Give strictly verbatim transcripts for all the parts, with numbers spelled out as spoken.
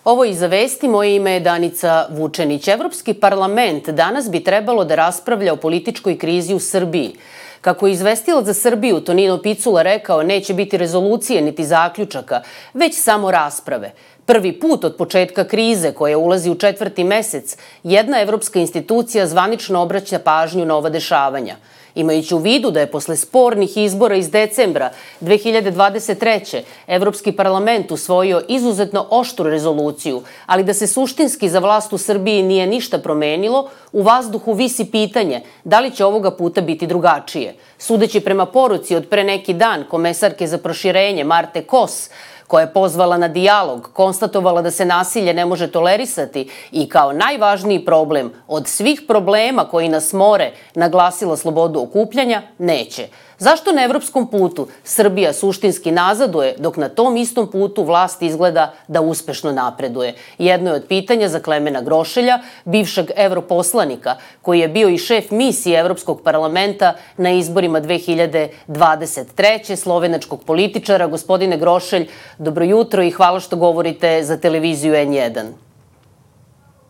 Ovo je Iza vesti, moje ime je Danica Vučenić. Evropski parlament danas bi trebalo da raspravlja o političkoj krizi u Srbiji. Kako je izvestilac za Srbiju Tonino Picula rekao, neće biti rezolucije niti zaključaka, već samo rasprave. Prvi put od početka krize, koja ulazi u četvrti mesec, jedna evropska institucija zvanično obraća pažnju na ova dešavanja. Imajući u vidu da je posle spornih izbora iz decembra dve hiljade dvadeset treće. Evropski parlament usvojio izuzetno oštru rezoluciju, ali da se suštinski za vlast u Srbiji nije ništa promenilo, u vazduhu visi pitanje da li će ovoga puta biti drugačije. Sudeći prema poruci od pre neki dan komesarke za proširenje Marte Kos, koja je pozvala na dijalog, konstatovala da se nasilje ne može tolerisati i kao najvažniji problem od svih problema koji nas more naglasila slobodu okupljanja, neće. Zašto na evropskom putu Srbija suštinski nazaduje, dok na tom istom putu vlast izgleda da uspešno napreduje? Jedno je od pitanja za Klemena Grošelja, bivšeg evroposlanika, koji je bio i šef misije Evropskog parlamenta na izborima dve hiljade dvadeset treće. slovenačkog političara. Gospodine Grošelj, dobro jutro i hvala što govorite za televiziju N jedan.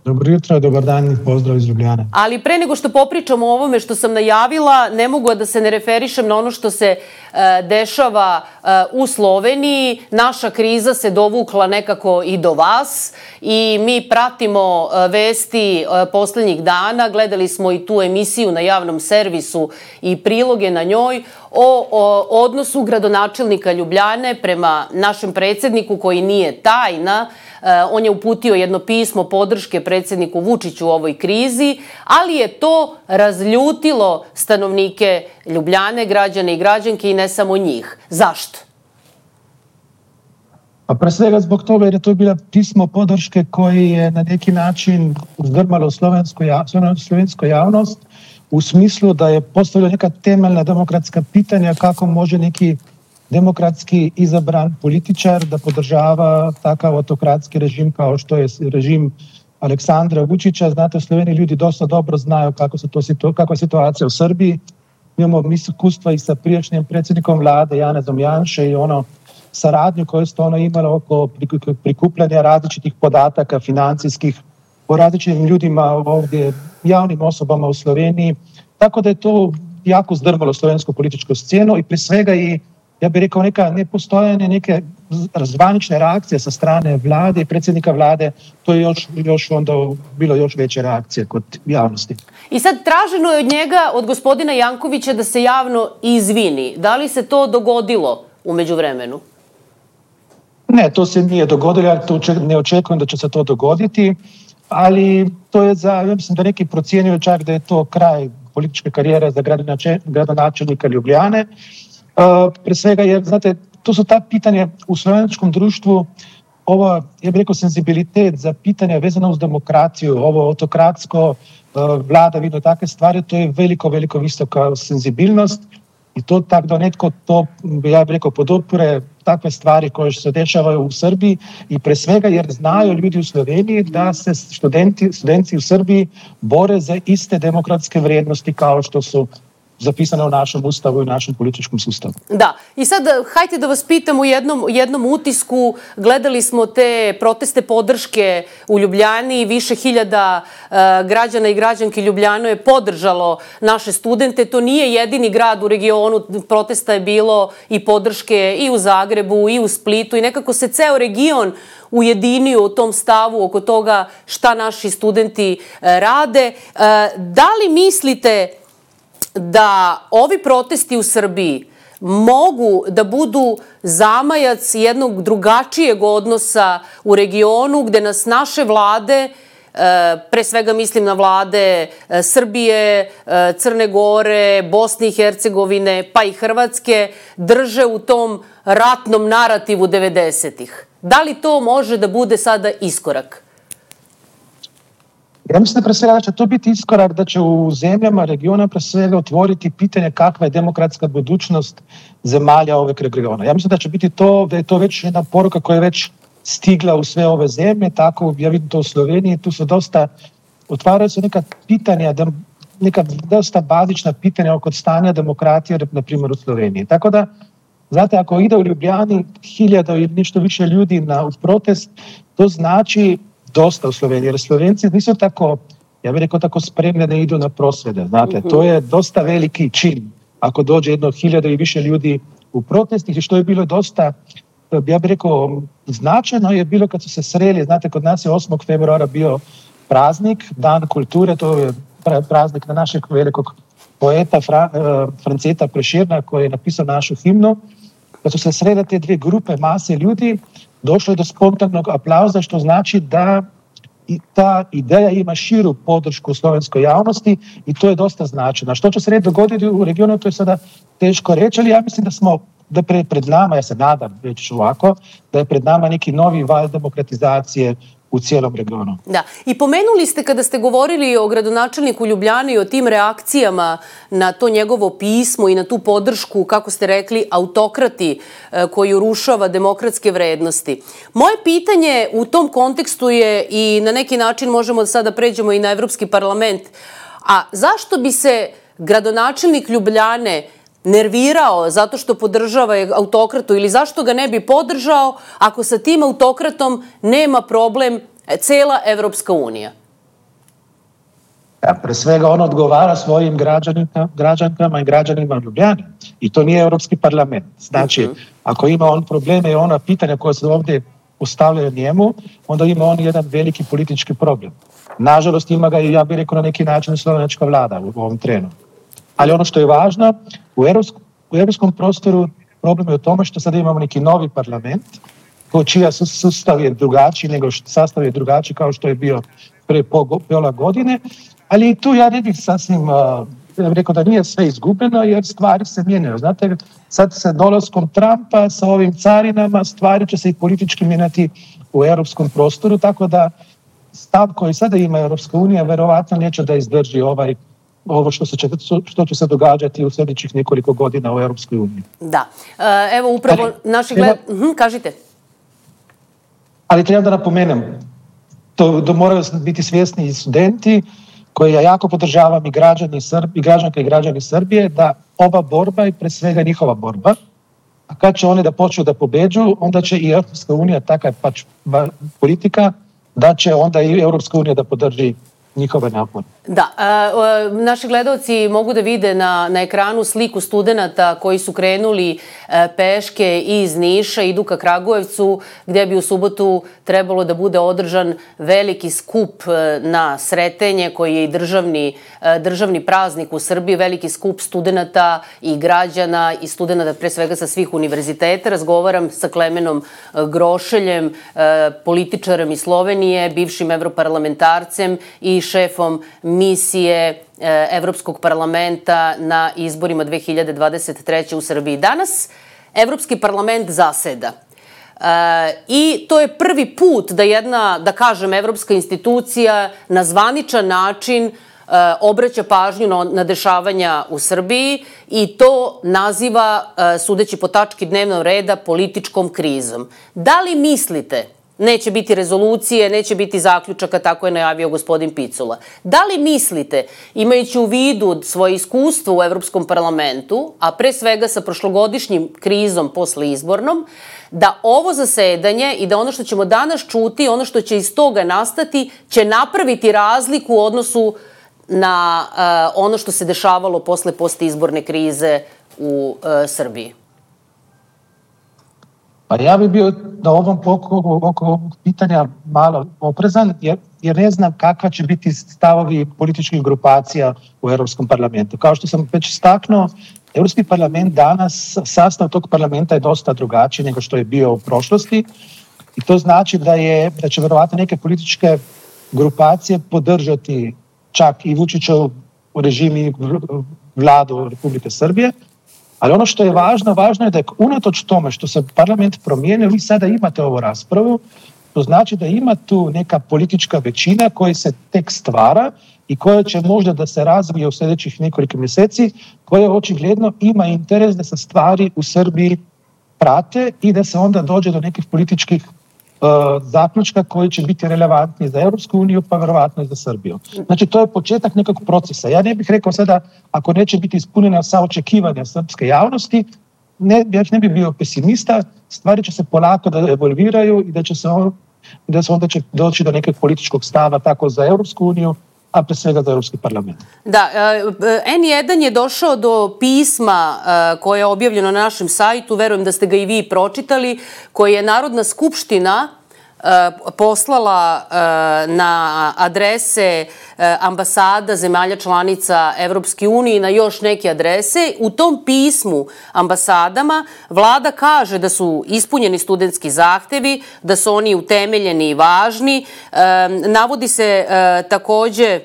Dobro jutro, dobar dan i pozdrav iz Ljubljane. Ali pre nego što popričamo o ovome što sam najavila, ne mogu da se ne referišem na ono što se dešava u Sloveniji. Naša kriza se dovukla nekako i do vas i mi pratimo vesti poslednjih dana. Gledali smo i tu emisiju na javnom servisu i priloge na njoj o, o odnosu gradonačelnika Ljubljane prema našem predsjedniku, koji nije tajna. On je uputio jedno pismo podrške predsjedniku Vučiću u ovoj krizi, ali je to razljutilo stanovnike Ljubljane, građane i građanke i ne samo njih. Zašto? Pa pre svega zbog toga jer je to bilo pismo podrške koji je na neki način uzdrmalo slovensku javnost u smislu da je postavilo neka temeljna demokratska pitanja kako može neki demokratski izabran političar da podržava takav autokratski režim kao što je režim Aleksandra Vučića. Znate, u Sloveniji ljudi dosta dobro znaju kako se to, kakva je situacija u Srbiji. Imamo iskustva i sa prijašnjim predsjednikom vlade Janezom Janše i ono saradnju koju ste ono imali oko prikupljanja različitih podataka financijskih o različitim ljudima ovdje, javnim osobama u Sloveniji. Tako da je to jako zdrmalo slovensku političku scenu i prije svega i ja bih rekao neka nepostojanje, neke zvanične reakcije sa strane vlade i predsjednika vlade, to je još, još onda bilo još veće reakcije kod javnosti. I sad traženo je od njega, od gospodina Jankovića, da se javno izvini. Da li se to dogodilo u međuvremenu? Ne, to se nije dogodilo, ja to ne očekujem da će se to dogoditi, ali to je za, ja mislim da neki procijenio čak da je to kraj političke karijere za gradonačelnika Ljubljane. Uh, pre svega jer, znate, to su ta pitanja u slovenačkom društvu, ovo, ja bih rekao, senzibilitet za pitanja vezana uz demokraciju, ovo autokratsko uh, vladavino, takve stvari, to je veliko, veliko visoka senzibilnost i to tako da netko to, ja bih rekao, podupire takve stvari koje se dešavaju u Srbiji i pre svega jer znaju ljudi u Sloveniji da se studenti, studenti u Srbiji bore za iste demokratske vrijednosti kao što su zapisane u našem ustavu i u našem političkom sustavu. Da, i sad hajte da vas pitam u jednom, jednom utisku, gledali smo te proteste podrške u Ljubljani, više hiljada uh, građana i građanki Ljubljano je podržalo naše studente, to nije jedini grad u regionu, protesta je bilo i podrške i u Zagrebu i u Splitu i nekako se ceo region ujedinio u tom stavu oko toga šta naši studenti uh, rade. Uh, da li mislite da ovi protesti u Srbiji mogu da budu zamajac jednog drugačijeg odnosa u regionu gde nas naše vlade, pre svega mislim na vlade Srbije, Crne Gore, Bosne i Hercegovine pa i Hrvatske, drže u tom ratnom narativu devedesetih? Da li to može da bude sada iskorak? Ja mislim da pre svega da će to biti iskorak, da će u zemljama regiona pre svega otvoriti pitanje kakva je demokratska budućnost zemalja ovog regiona. Ja mislim da će biti to, da je to već jedna poruka koja je već stigla u sve ove zemlje, tako ja vidim to u Sloveniji, tu su dosta, otvaraju se neka pitanja, neka dosta bazična pitanja oko stanja demokratije, na primjer u Sloveniji. Tako da Znate, ako ide u Ljubljani hiljada ili nešto više ljudi na u protest, to znači dosta u Sloveniji, jer Slovenci nisu tako, ja bih rekao, tako spremni da idu na prosvjede. Znate, to je dosta veliki čin ako dođe jedno hiljada i više ljudi u protest, i što je bilo dosta, ja bih rekao, značajno je bilo kad su se sreli. Znate, kod nas je osmog februara bio praznik, Dan kulture, to je praznik na našeg velikog poeta Fra, Franceta Prešerna, koji je napisao našu himnu. Kad su se srele te dvije grupe mase ljudi, došlo je do spontanog aplauza, što znači da i ta ideja ima širu podršku u slovenskoj javnosti i to je dosta značajno. Što će se red dogoditi u regionu, to je sada teško reći, ali ja mislim da smo da pre, pred nama, ja se nadam, reći ovako, da je pred nama neki novi val demokratizacije u cijelom regionu. Da. I pomenuli ste kada ste govorili o gradonačelniku Ljubljane i o tim reakcijama na to njegovo pismo i na tu podršku, kako ste rekli, autokrati koji urušava demokratske vrednosti. Moje pitanje u tom kontekstu je, i na neki način možemo da sada pređemo i na Evropski parlament, a zašto bi se gradonačelnik Ljubljane nervirao zato što podržava autokratu, ili zašto ga ne bi podržao ako sa tim autokratom nema problem cela Evropska unija? Ja, pre svega on odgovara svojim građankama i građanima Ljubljane. I to nije Evropski parlament. Znači, uh-huh. ako ima on probleme i ona pitanja koja se ovdje postavljaju njemu, onda ima on jedan veliki politički problem. Nažalost, ima ga i, ja bih rekao, na neki način slovenačka vlada u ovom trenu. Ali ono što je važno, u europskom, u europskom prostoru problem je u tome što sada imamo neki novi parlament, čija sustav je drugačiji nego što sastav je drugačiji kao što je bio pre pola godine, ali tu ja ne bih sasvim, ja bih rekao da nije sve izgubljeno, jer stvari se mijenjaju. Znate, sad sa dolaskom Trumpa, sa ovim carinama, stvari će se i politički mijenjati u europskom prostoru, tako da stav koji sada ima Europska unija verovatno neće da izdrži ovaj ovo što, se će, što će se događati u sljedećih nekoliko godina u Europskoj uniji. Da. Evo upravo ali, naši gled... Uhum, kažite. Ali treba da napomenem, to da moraju biti svjesni i studenti, koji ja jako podržavam, i građani Srbi, i građanke i građani Srbije, da ova borba je pre svega njihova borba. A kad će oni da počnu da pobeđu, onda će i Europska unija, taka je pač politika, da će onda i Europska unija da podrži njihove napore. Da, e, naši gledalci mogu da vide na, na ekranu sliku studenata koji su krenuli e, peške iz Niša, idu ka Kragujevcu, gdje bi u subotu trebalo da bude održan veliki skup e, na Sretenje, koji je i državni, e, državni praznik u Srbiji, veliki skup studenata i građana i studenata pre svega sa svih univerziteta. Razgovaram sa Klemenom Grošeljem, e, političarem iz Slovenije, bivšim evroparlamentarcem i šefom misije Evropskog parlamenta na izborima dve hiljade dvadeset treće. u Srbiji. Danas Evropski parlament zaseda. E, I to je prvi put da jedna, da kažem, evropska institucija na zvaničan način e, obraća pažnju na, na dešavanja u Srbiji i to naziva, e, sudeći po tački dnevnog reda, političkom krizom. Da li mislite, neće biti rezolucije, neće biti zaključaka, tako je najavio gospodin Picula. Da li mislite, imajući u vidu svoje iskustvo u Evropskom parlamentu, a pre svega sa prošlogodišnjim krizom posle izbornom, da ovo zasedanje i da ono što ćemo danas čuti, ono što će iz toga nastati, će napraviti razliku u odnosu na uh, ono što se dešavalo posle postizborne krize u uh, Srbiji? Pa ja bih bio na ovom oko, oko ovog pitanja malo oprezan, jer, jer ne znam kakva će biti stavovi političkih grupacija u Europskom parlamentu. Kao što sam već istaknuo, Europski parlament danas, sastav tog parlamenta je dosta drugačiji nego što je bio u prošlosti i to znači da, je, da će verovatno neke političke grupacije podržati čak i Vučićev režim i vladu Republike Srbije. Ali ono što je važno, važno je da je unatoč tome što se parlament promijenio, vi sada imate ovu raspravu, to znači da ima tu neka politička većina koja se tek stvara i koja će možda da se razvije u sljedećih nekoliko mjeseci, koja očigledno ima interes da se stvari u Srbiji prate i da se onda dođe do nekih političkih uh, zaključka koji će biti relevantni za Europsku uniju, pa verovatno i za Srbiju. Znači, to je početak nekog procesa. Ja ne bih rekao sada, ako neće biti ispunjena sa očekivanja srpske javnosti, ne, ja ne bi bio pesimista, stvari će se polako da evolviraju i da će se, on, da se onda će doći do nekog političkog stava tako za Europsku uniju, a pre svega za Europski parlament. Da, en jedan je došao do pisma koje je objavljeno na našem sajtu, verujem da ste ga i vi pročitali, koje je Narodna skupština poslala na adrese ambasada zemalja članica Evropske unije i na još neke adrese. U tom pismu ambasadama vlada kaže da su ispunjeni studentski zahtevi, da su oni utemeljeni i važni. Navodi se takođe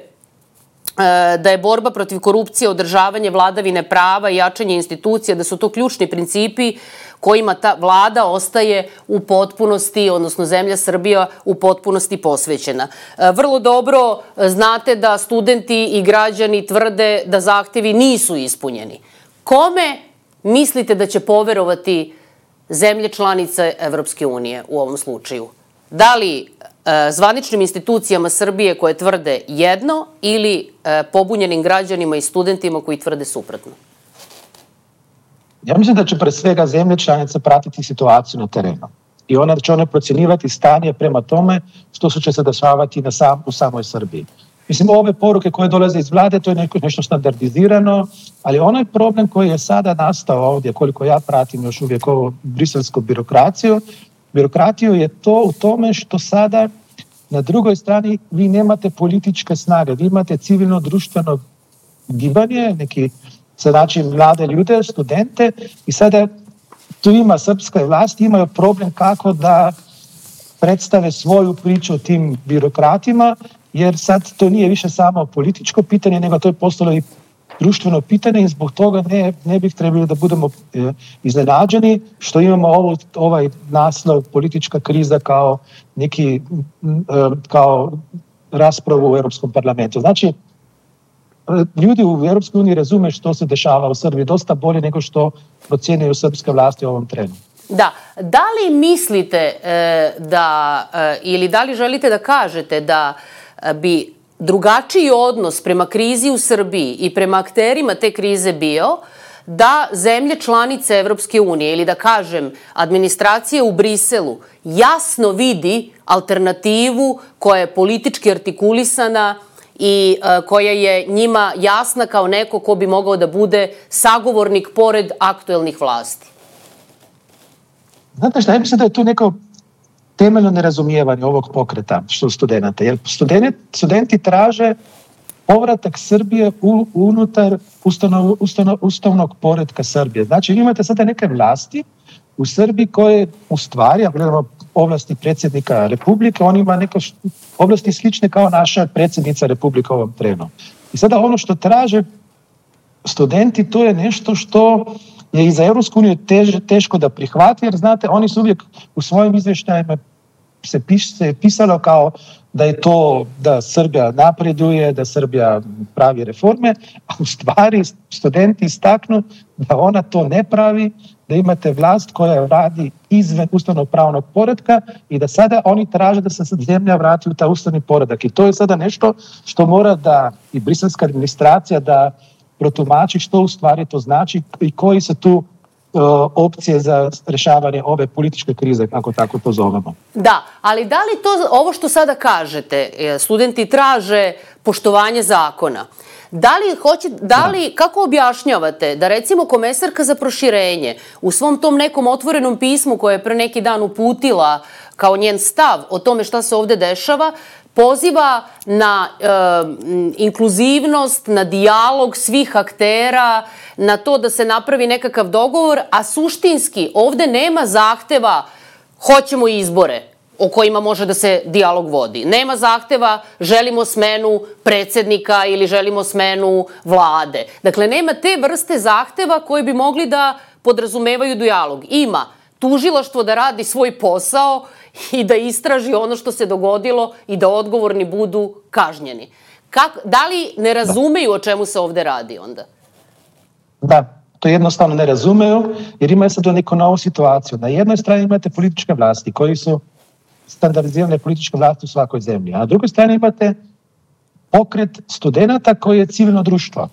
da je borba protiv korupcije, održavanje vladavine prava i jačanje institucija, da su to ključni principi kojima ta vlada ostaje u potpunosti, odnosno zemlja Srbija u potpunosti posvećena. Vrlo dobro znate da studenti i građani tvrde da zahtevi nisu ispunjeni. Kome mislite da će poverovati zemlje članice Evropske unije u ovom slučaju? Da li zvaničnim institucijama Srbije koje tvrde jedno ili pobunjenim građanima i studentima koji tvrde suprotno? Ja mislim da će pre svega zemlje članice pratiti situaciju na terenu i ona će one procjenjivati stanje prema tome što su će se dešavati na sam, u samoj Srbiji. Mislim, ove poruke koje dolaze iz vlade, to je neko, nešto standardizirano, ali onaj problem koji je sada nastao ovdje, koliko ja pratim još uvijek ovu briselsku birokraciju, birokratiju je to u tome što sada na drugoj strani vi nemate političke snage, vi imate civilno društveno gibanje, neki znači mlade ljude, studente i sada tu ima srpska vlast, imaju problem kako da predstave svoju priču o tim birokratima, jer sad to nije više samo političko pitanje, nego to je postalo i društveno pitanje i zbog toga ne, ne bih trebali da budemo e, iznenađeni što imamo ovo, ovaj naslov politička kriza kao neki e, kao raspravu u Europskom parlamentu. Znači, ljudi u Europskoj uniji razume što se dešava u Srbiji dosta bolje nego što procjenjuju srpske vlasti u ovom trenu. Da, da li mislite e, da, e, ili da li želite da kažete da bi drugačiji odnos prema krizi u Srbiji i prema akterima te krize bio da zemlje članice Evropske unije ili da kažem administracija u Briselu jasno vidi alternativu koja je politički artikulisana i koja je njima jasna kao neko ko bi mogao da bude sagovornik pored aktuelnih vlasti? Znate šta, ja mislim da je tu neko temeljno nerazumijevanje ovog pokreta što studenta. Jer studenti, studenti traže povratak Srbije u, unutar ustanov, ustanov, ustavnog poretka Srbije. Znači, imate sada neke vlasti u Srbiji koje u stvari, ako gledamo ovlasti predsjednika Republike, on ima neke oblasti slične kao naša predsjednica Republike u ovom trenu. I sada ono što traže studenti, to je nešto što je i za Europsku uniju teško da prihvati, jer znate, oni su uvijek u svojim izvještajima se, piš, se pisalo kao da je to da Srbija napreduje, da Srbija pravi reforme, a u stvari studenti istaknu da ona to ne pravi, da imate vlast koja radi izven ustavnog pravnog poretka i da sada oni traže da se zemlja vrati u taj ustavni poredak. I to je sada nešto što mora da i briselska administracija da protumači što u stvari to znači i koji su tu uh, opcije za rješavanje ove političke krize, kako tako to zovemo. Da, ali da li to, ovo što sada kažete, studenti traže poštovanje zakona, da li hoće, da li, kako objašnjavate da recimo komesarka za proširenje u svom tom nekom otvorenom pismu koje je pre neki dan uputila kao njen stav o tome šta se ovde dešava, poziva na e, inkluzivnost, na dijalog svih aktera, na to da se napravi nekakav dogovor, a suštinski ovde nema zahteva hoćemo izbore o kojima može da se dijalog vodi. Nema zahteva želimo smenu predsjednika ili želimo smenu vlade. Dakle, nema te vrste zahteva koji bi mogli da podrazumevaju dijalog. Ima tužilaštvo da radi svoj posao i da istraži ono što se dogodilo i da odgovorni budu kažnjeni. Kak, da li ne razumeju o čemu se ovde radi onda? Da, to jednostavno ne razumeju jer imaju sad neku novu situaciju. Na jednoj strani imate političke vlasti koji su standardizirane političke vlasti u svakoj zemlji, a na drugoj strani imate pokret studenta koji je civilno društvo.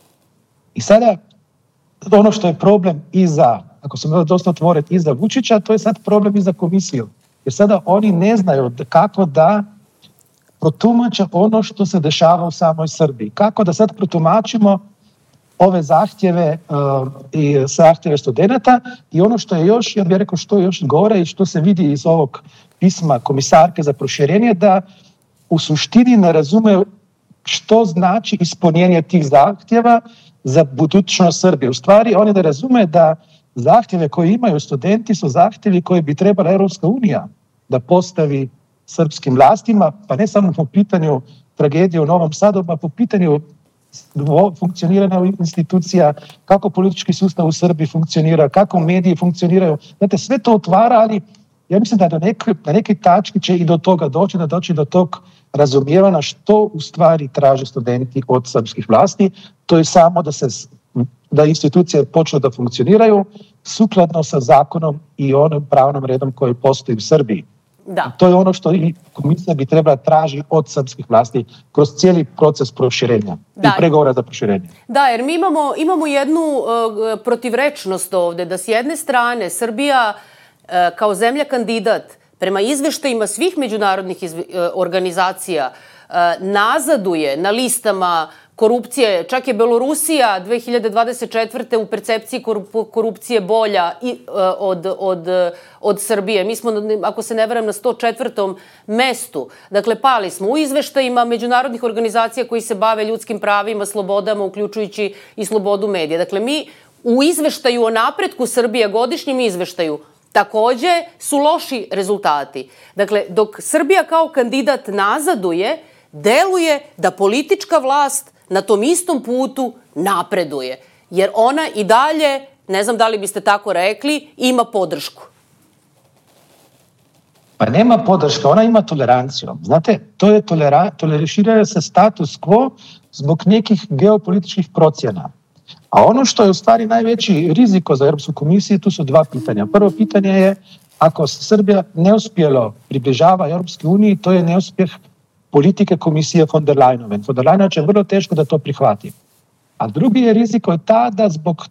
I sada ono što je problem i za ako smo dosta otvoreni i za Vučića, to je sad problem i za komisiju. Jer sada oni ne znaju kako da protumače ono što se dešava u samoj Srbiji. Kako da sad protumačimo ove zahtjeve uh, i zahtjeve studenta i ono što je još, ja bih rekao što je još gore i što se vidi iz ovog pisma komisarke za proširenje, da u suštini ne razume što znači ispunjenje tih zahtjeva za budućnost Srbije. U stvari oni ne razume da zahtjeve koje imaju studenti su zahtjevi koje bi trebala Europska unija da postavi srpskim vlastima, pa ne samo po pitanju tragedije u Novom Sadu, pa po pitanju funkcioniranja institucija, kako politički sustav u Srbiji funkcionira, kako mediji funkcioniraju. Znate, sve to otvara, ali ja mislim da na nekoj, na nekoj tački će i do toga doći, da doći do tog razumijevanja što u stvari traže studenti od srpskih vlasti. To je samo da se da institucije počnu da funkcioniraju sukladno sa zakonom i onim pravnom redom koji postoji u Srbiji. Da. To je ono što i komisija bi trebala traži od srpskih vlasti kroz cijeli proces proširenja da. I pregovora za proširenje. Da, jer mi imamo, imamo jednu uh, protivrečnost ovde, da s jedne strane Srbija uh, kao zemlja kandidat prema izveštajima svih međunarodnih izve, uh, organizacija uh, nazaduje na listama korupcije, čak je Belorusija dve hiljade dvadeset četvrte u percepciji korupcije bolja i, uh, od, od, od Srbije. Mi smo, ako se ne varam, na sto četvrtom mestu. Dakle, pali smo u izveštajima međunarodnih organizacija koji se bave ljudskim pravima, slobodama, uključujući i slobodu medija. Dakle, mi u izveštaju o napretku Srbije, godišnjem izveštaju, takođe su loši rezultati. Dakle, dok Srbija kao kandidat nazaduje, deluje da politička vlast na tom istom putu napreduje. Jer ona i dalje, ne znam da li biste tako rekli, ima podršku. Pa nema podrška, ona ima toleranciju. Znate, to je tolera, toleriraju se status quo zbog nekih geopolitičkih procjena. A ono što je u stvari najveći riziko za Europsku komisiju, tu su dva pitanja. Prvo pitanje je, ako se Srbija neuspjelo približava Europskoj uniji, to je neuspjeh politike komisije von der Leyenove. Von der Leyen će vrlo teško da to prihvati. A drugi je riziko je ta da zbog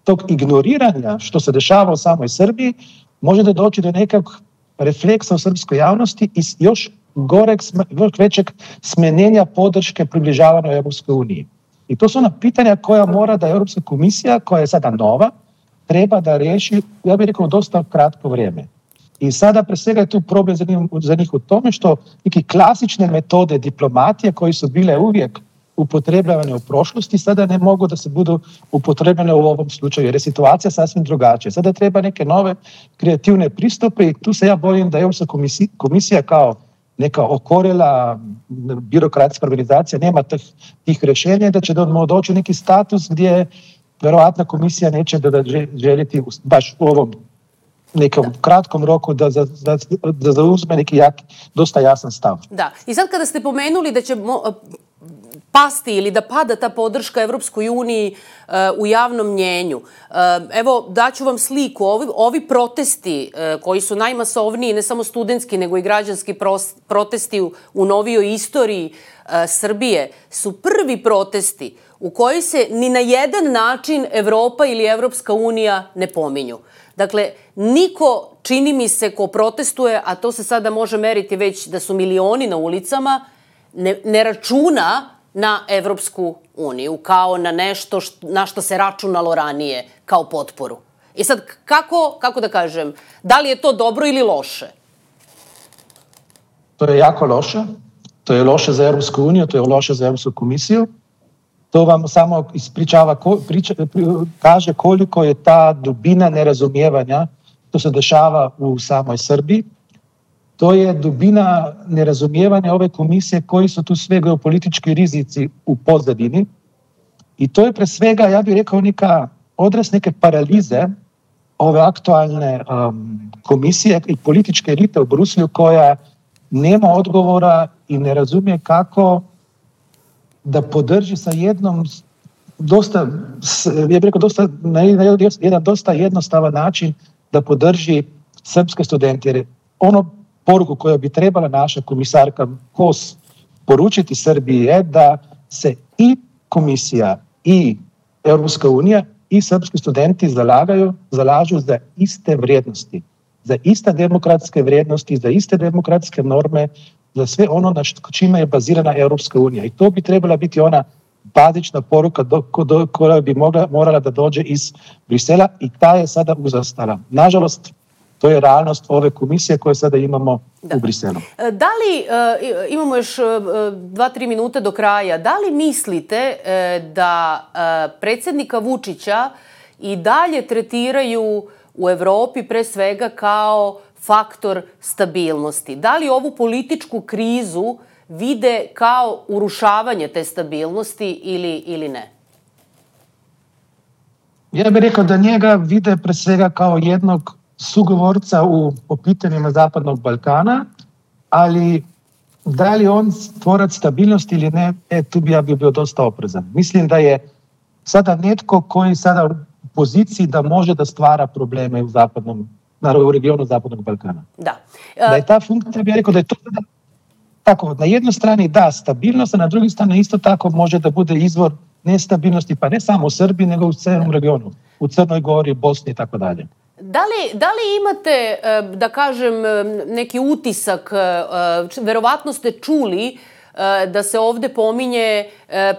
tog ignoriranja što se dešava u samoj Srbiji može da doći do nekog refleksa u srpskoj javnosti i još goreg, još većeg smenjenja podrške približavanju Europskoj uniji. I to su ona pitanja koja mora da Europska komisija, koja je sada nova, treba da riješi, ja bih rekao, dosta kratko vrijeme. I sada pre svega je tu problem za njih, za njih u tome što neke klasične metode diplomatije koje su bile uvijek upotrebljavane u prošlosti sada ne mogu da se budu upotrebljene u ovom slučaju jer je situacija sasvim drugačija. Sada treba neke nove kreativne pristupe i tu se ja bojim da Europska komisija, komisija kao neka okorela birokratska organizacija nema tih, tih rješenja da će doći u neki status gdje verovatno komisija neće da željeti baš u ovom nekom kratkom roku da, da, da, da zauzme neki jak, dosta jasan stav. Da, i sad kada ste pomenuli da će pasti ili da pada ta podrška Evropskoj uniji uh, u javnom mnjenju. Uh, evo, daću vam sliku. Ovi, ovi protesti uh, koji su najmasovniji, ne samo studentski, nego i građanski pros, protesti u, u novijoj istoriji uh, Srbije, su prvi protesti u koji se ni na jedan način Evropa ili Evropska unija ne pominju. Dakle, niko, čini mi se, ko protestuje, a to se sada može meriti već da su milioni na ulicama, ne, ne računa na Evropsku uniju, kao na nešto što, na što se računalo ranije, kao potporu. I sad, kako, kako da kažem, da li je to dobro ili loše? To je jako loše. To je loše za Evropsku uniju, to je loše za Evropsku komisiju. To vam samo ispričava, priča, kaže koliko je ta dubina nerazumijevanja što se dešava u samoj Srbiji. To je dubina nerazumijevanja ove komisije koji su tu sve geopolitički rizici u pozadini. I to je pre svega, ja bih rekao, neka odraz neke paralize ove aktualne um, komisije i političke elite u Bruslju koja nema odgovora i ne razumije kako da podrži sa jednom dosta, ja bih rekao, dosta, na jedan dosta jednostavan način da podrži srpske studente. Jer ono poruku koju bi trebala naša komisarka Kos poručiti Srbiji je da se i komisija i Europska unija i srpski studenti zalagaju, zalažu za iste vrijednosti, za iste demokratske vrijednosti, za iste demokratske norme, za sve ono na čime je bazirana Europska unija. I to bi trebala biti ona bazična poruka do, do, koja bi mogla, morala da dođe iz Brisela i ta je sada uzastala. Nažalost, to je realnost ove komisije koje sada imamo da. u Briselu. Da li, imamo još dva, tri minuta do kraja, da li mislite da predsjednika Vučića i dalje tretiraju u Evropi pre svega kao faktor stabilnosti? Da li ovu političku krizu vide kao urušavanje te stabilnosti ili, ili ne? Ja bih rekao da njega vide pre svega kao jednog sugovorca u, po pitanjima Zapadnog Balkana, ali da li on stvorac stabilnosti ili ne, e, tu bi ja bio dosta oprezan. Mislim da je sada netko koji sada u poziciji da može da stvara probleme u zapadnom, naravno u regionu Zapadnog Balkana. Da. Uh... Da je ta funkcija, bih rekao da je to tako, na jednoj strani da stabilnost, a na drugoj strani isto tako može da bude izvor nestabilnosti, pa ne samo u Srbiji, nego u celom regionu, u Crnoj Gori, Bosni i tako dalje. Da li, da li imate, da kažem, neki utisak, verovatno ste čuli da se ovde pominje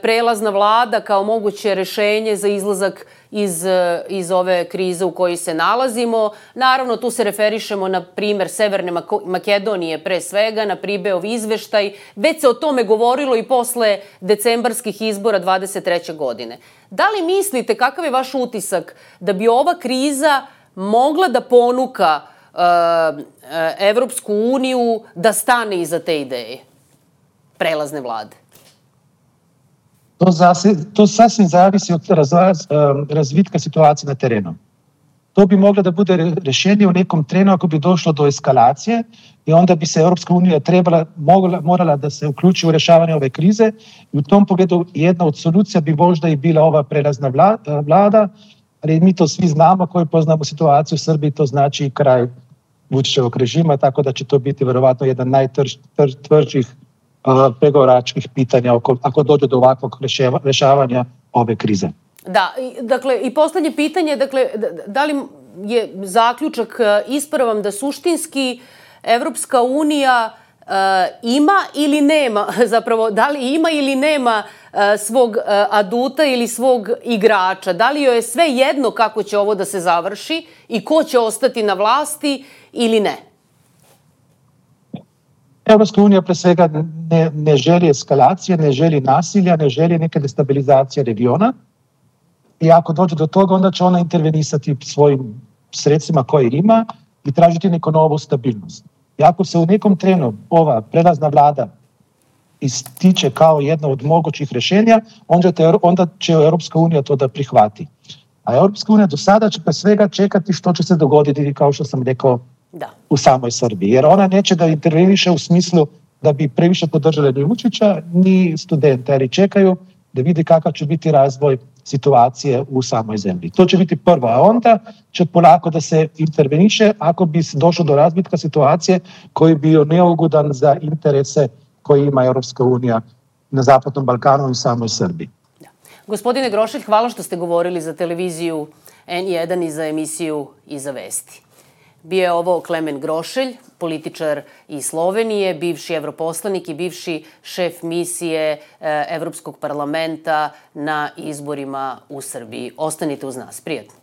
prelazna vlada kao moguće rešenje za izlazak iz, iz ove krize u kojoj se nalazimo. Naravno, tu se referišemo na primer Severne Makedonije pre svega, na Pribeov izveštaj. Već se o tome govorilo i posle decembarskih izbora dvadeset treće godine. Da li mislite, kakav je vaš utisak, da bi ova kriza mogla da ponuka uh, Evropsku uniju da stane iza te ideje prelazne vlade? To, zase, to sasvim zavisi od raz, razvitka situacije na terenu. To bi moglo da bude rešenje u nekom trenu ako bi došlo do eskalacije i onda bi se Evropska unija trebala, mogla, morala da se uključi u rešavanje ove krize i u tom pogledu jedna od solucija bi možda i bila ova prelazna vlada, ali mi to svi znamo koji poznamo situaciju u Srbiji, to znači kraj Vučićevog režima, tako da će to biti verovatno jedan najtvrđih uh, pregovaračkih pitanja ako, ako dođe do ovakvog reševa, rešavanja ove krize. Da, dakle, i poslednje pitanje, dakle, da li je zaključak ispravan da suštinski Evropska unija uh, ima ili nema, zapravo, da li ima ili nema uh, svog uh, aduta ili svog igrača? Da li joj je sve jedno kako će ovo da se završi i ko će ostati na vlasti ili ne? Evropska unija pre svega ne, ne želi eskalacije, ne želi nasilja, ne želi neke destabilizacije regiona. I ako dođe do toga, onda će ona intervenisati svojim sredstvima koje ima i tražiti neku novu stabilnost. I ako se u nekom trenu ova prelazna vlada ističe kao jedno od mogućih rešenja, onda, te, onda će Europska unija to da prihvati. A Europska unija do sada će pre svega čekati što će se dogoditi, kao što sam rekao, da. u samoj Srbiji. Jer ona neće da interveniše u smislu da bi previše podržali ni Vučića, ni studente, ali čekaju da vidi kakav će biti razvoj situacije u samoj zemlji. To će biti prvo, a onda će polako da se interveniše ako bi došlo do razbitka situacije koji bi bio neugodan za interese koje ima Europska unija na Zapadnom Balkanu i samoj Srbiji. Da. Gospodine Grošelj, hvala što ste govorili za televiziju en jedan i za emisiju Iza vesti. Bio je ovo Klemen Grošelj, političar iz Slovenije, bivši evroposlanik i bivši šef misije Evropskog parlamenta na izborima u Srbiji. Ostanite uz nas. Prijatno.